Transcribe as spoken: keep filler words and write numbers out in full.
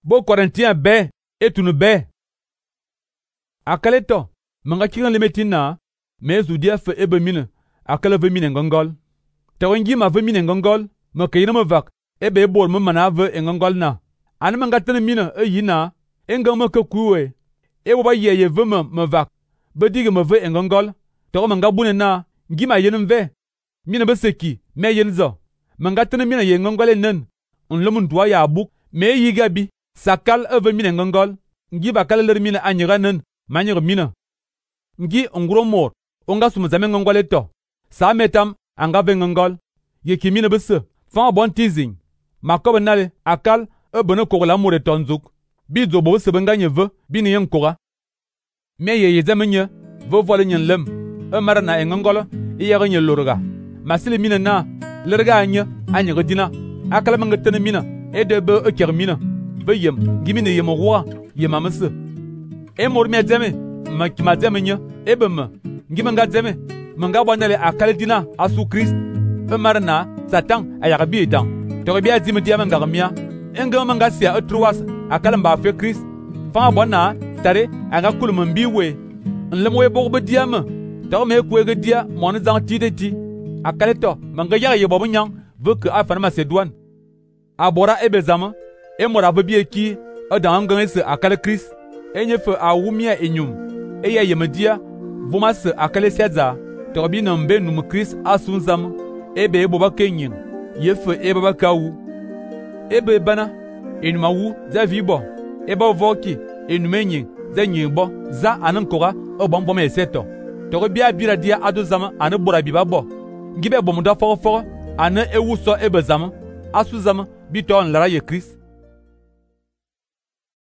Bo Corinthiens be etunu be. Akale to, manga kiran lemetina, mezu dia fe ebe mine, akale ve mine ngongol. Tewengi ma ve mine ngongol, me kayina me vak, ebe bol me mana ve ngongol na. Ane manga tene mine e yina, enga me ke kuwe. E woba ye ye ve me me vak, be dige me ve ngongol. Tewo manga bune na, ngi ma yenim ve. Mine be seki, me yen zo. Manga tene mine ye ngongol e nen. Nlom ndwa ya buk, me yiga bi. Sakal eve mine ngongol. Ngi bakale ler mine anyira nen, manyir mine. Ngi ngro mor, onga sumzame ngongol eto. Sa metam, anga ve ngongol. Ye ki mine bese, fan bon teasing. Makobe nale, akal, e bene kogola mor etonzuk. Bi zobo sebe nga nye ve, bi ni yen koga. Me ye ye zeme nye, ve vole nyen lem. E mara na e ngongol, e yere nye lorga. Masile mine na, lerga anye, anyire dina. Akala mange tene mine, e de be e ker mine. Ve yem, ngi mine yem roi, yem amese. E mor me zeme, ma ki ma zeme nye, e be me. Ngi menga zeme, menga wanele akale dina asu Christ. E mara na, Satan a yaka bi etan. Tori bi a zime diya menga remia. Enga menga siya e truas, akale mba fe Christ. Fan abona, tare, anga kulu mbi we. Nlem we borbe diya me. Tori me kwege diya, mwane zang ti de ti. Akale to, menga yaka ye bobo nyang, ve ke afan Macedouane. Abora ebe zama, e mora ve bi eki, e dan angen se akale Christ. E nye fe a wumia enyum. E ya yemedia, vuma se akale siaza. Tori bi nambe num Christ asun zama. Ebe e boba kenyin. Ye fe e baba kawu. Ebe bana, enuma wu, za vibo. Eba voki, enume nyin, za nyin bo, za anankora, e bon bom eseto. Tori bi a bira dia ado zama, ane bora biba bo. Ngibe bomuda foro foro, ane e wuso ebe zama. Asu zama, bi to nlara ye Christ.